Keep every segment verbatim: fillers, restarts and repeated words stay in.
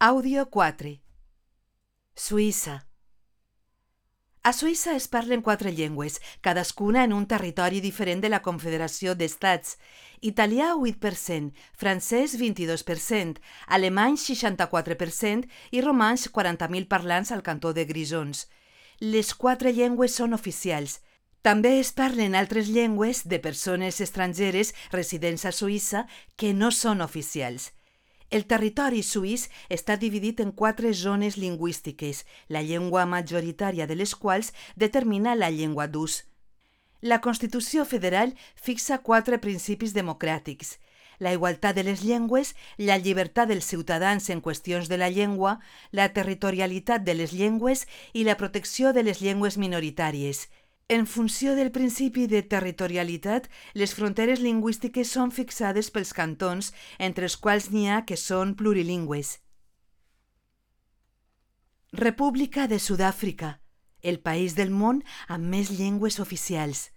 Àudio quatre. Suïssa. A Suïssa es parlen quatre llengües, cadascuna en un territori diferent de la Confederació d'Estats. Italià, vuit per cent, francès, vint-i-dos per cent, alemany, seixanta-quatre per cent i romanx, quaranta mil parlants al cantó de Grisons. Les quatre llengües són oficials. També es parlen altres llengües de persones estrangeres residents a Suïssa que no són oficials. El territori suís està dividit en quatre zones lingüístiques, la llengua majoritària de les quals determina la llengua d'ús. La Constitució federal fixa quatre principis democràtics: la igualtat de les llengües, la llibertat dels ciutadans en qüestions de la llengua, la territorialitat de les llengües i la protecció de les llengües minoritàries. En funció del principi de territorialitat, les fronteres lingüístiques són fixades pels cantons, entre els quals n'hi ha que són plurilingües. República de Sud-àfrica, el país del món amb més llengües oficials.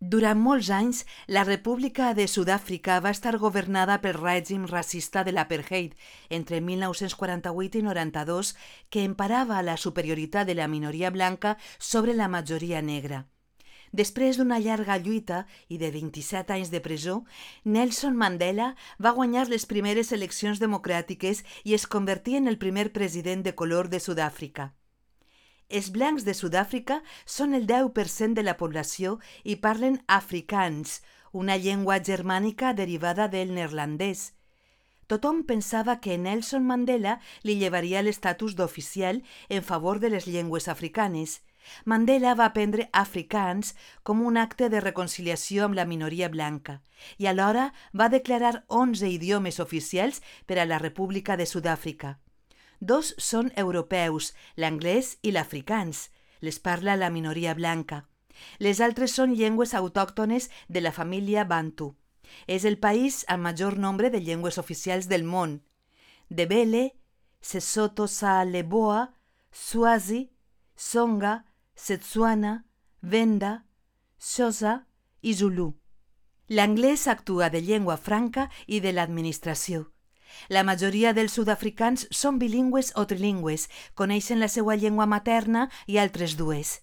Durant molts anys, la República de Sud-àfrica va estar governada pel règim racista de l'apartheid entre mil nou-cents quaranta-vuit i noranta-dos, que emparava la superioritat de la minoria blanca sobre la majoria negra. Després d'una llarga lluita i de vint-i-set anys de presó, Nelson Mandela va guanyar les primeres eleccions democràtiques i es convertí en el primer president de color de Sud-àfrica. Els blancs de Sud-àfrica són el deu per cent de la població i parlen afrikaans, una llengua germànica derivada del neerlandès. Tothom pensava que Nelson Mandela li llevaria l'estatus d'oficial en favor de les llengües africanes. Mandela va prendre afrikaans com un acte de reconciliació amb la minoria blanca i alhora va declarar onze idiomes oficials per a la República de Sud-àfrica. Dos són europeus, l'anglès i l'afrikaans. Les parla la minoria blanca. Les altres són llengües autòctones de la família bantu. És el país amb major nombre de llengües oficials del món: Ndebele, Sesotho sa Leboa, Swazi, Tsonga, Setswana, Venda, Xhosa i Zulu. L'anglès actua de llengua franca i de l'administració. La majoria dels sud-africans són bilingües o trilingües, coneixen la seva llengua materna i altres dues.